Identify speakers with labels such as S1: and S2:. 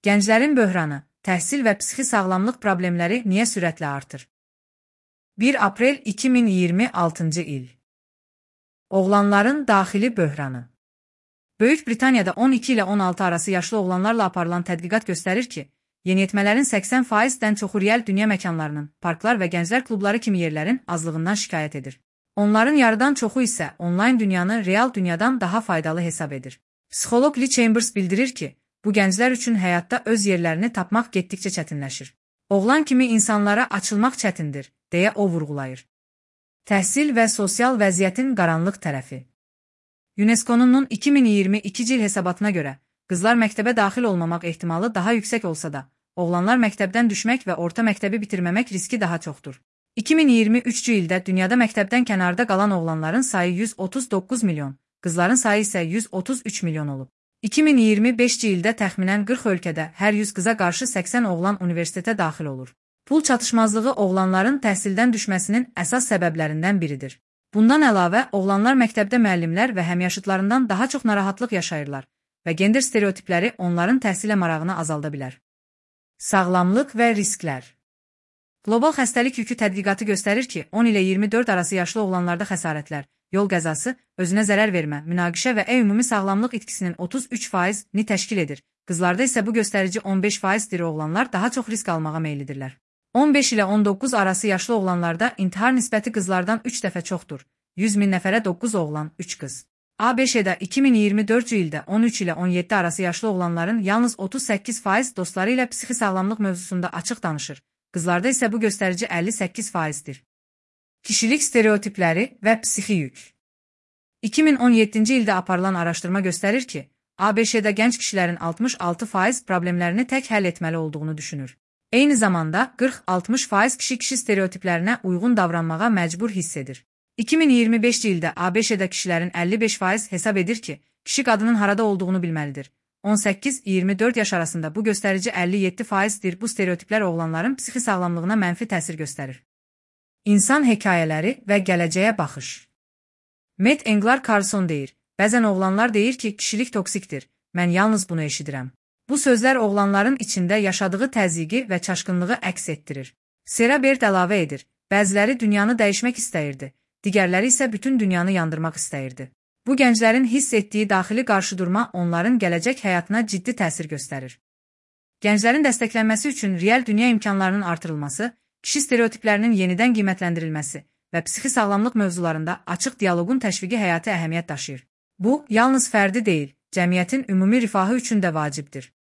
S1: Gənclərin böhranı, təhsil və psixi sağlamlıq problemləri niyə sürətlə artır? 1 aprel 2026-cı il. Oğlanların daxili böhranı. Böyük Britaniyada 12 ilə 16 arası yaşlı oğlanlarla aparılan tədqiqat göstərir ki, yeniyetmələrin 80%-dən çoxu real dünya məkanlarının, parklar və gənclər klubları kimi yerlərin azlığından şikayət edir. Onların yarıdan çoxu isə onlayn dünyanı real dünyadan daha faydalı hesab edir. Psixoloq Lee Chambers bildirir ki, bu gənclər üçün həyatda öz yerlərini tapmaq getdikcə çətinləşir. Oğlan kimi insanlara açılmaq çətindir, deyə o vurğulayır. Təhsil və sosial vəziyyətin qaranlıq tərəfi. UNESCO-nun 2022-ci il hesabatına görə, qızlar məktəbə daxil olmamaq ehtimalı daha yüksək olsa da, oğlanlar məktəbdən düşmək və orta məktəbi bitirməmək riski daha çoxdur. 2023-cü ildə dünyada məktəbdən kənarda qalan oğlanların sayı 139 milyon, qızların sayı isə 133 milyon olub. 2025-ci ildə təxminən 40 ölkədə hər 100 qıza qarşı 80 oğlan universitetə daxil olur. Pul çatışmazlığı oğlanların təhsildən düşməsinin əsas səbəblərindən biridir. Bundan əlavə, oğlanlar məktəbdə müəllimlər və həmyaşıtlarından daha çox narahatlıq yaşayırlar və gender stereotipləri onların təhsilə marağını azalda bilər. Sağlamlıq və risklər. Qlobal xəstəlik yükü tədqiqatı göstərir ki, 10 ilə 24 arası yaşlı oğlanlarda xəsarətlər, yol qəzası, özünə zərər vermə, münaqişə və ümumi sağlamlıq itkisinin 33%-ni təşkil edir. Qızlarda isə bu göstərici 15%-dir, oğlanlar daha çox risk almağa meyillidirlər. 15 ilə 19 arası yaşlı oğlanlarda intihar nisbəti qızlardan 3 dəfə çoxdur. 100 min nəfərə 9 oğlan, 3 qız. ABŞ-də 2024-cü ildə 13 ilə 17 arası yaşlı oğlanların yalnız 38% dostları ilə psixi sağlamlıq mövzusunda açıq danışır. Qızlarda isə bu göstərici 58%-dir. Kişilik stereotipləri və psixi yük. 2017-ci ildə aparılan araşdırma göstərir ki, ABŞ-də gənc kişilərin 66% problemlərini tək həll etməli olduğunu düşünür. Eyni zamanda 40-60% kişi stereotiplərinə uyğun davranmağa məcbur hiss edir. 2025-ci ildə ABŞ-də kişilərin 55% hesab edir ki, kişi qadının harada olduğunu bilməlidir. 18-24 yaş arasında bu göstərici 57%-dir. Bu stereotiplər oğlanların psixi sağlamlığına mənfi təsir göstərir. İnsan hekayələri və gələcəyə baxış. Matt Englar Carlson deyir, bəzən oğlanlar deyir ki, kişilik toksikdir, mən yalnız bunu eşidirəm. Bu sözlər oğlanların içində yaşadığı təzyiqi və çaşqınlığı əks etdirir. Sarah Baird əlavə edir, bəziləri dünyanı dəyişmək istəyirdi, digərləri isə bütün dünyanı yandırmaq istəyirdi. Bu gənclərin hiss etdiyi daxili qarşıdurma onların gələcək həyatına ciddi təsir göstərir. Gənclərin dəstəklənməsi üçün real dünya imkanlarının artırılması, kişi stereotiplərinin yenidən qiymətləndirilməsi və psixi sağlamlıq mövzularında açıq dialoqun təşviqi həyati əhəmiyyət daşıyır. Bu, yalnız fərdi deyil, cəmiyyətin ümumi rifahı üçün də vacibdir.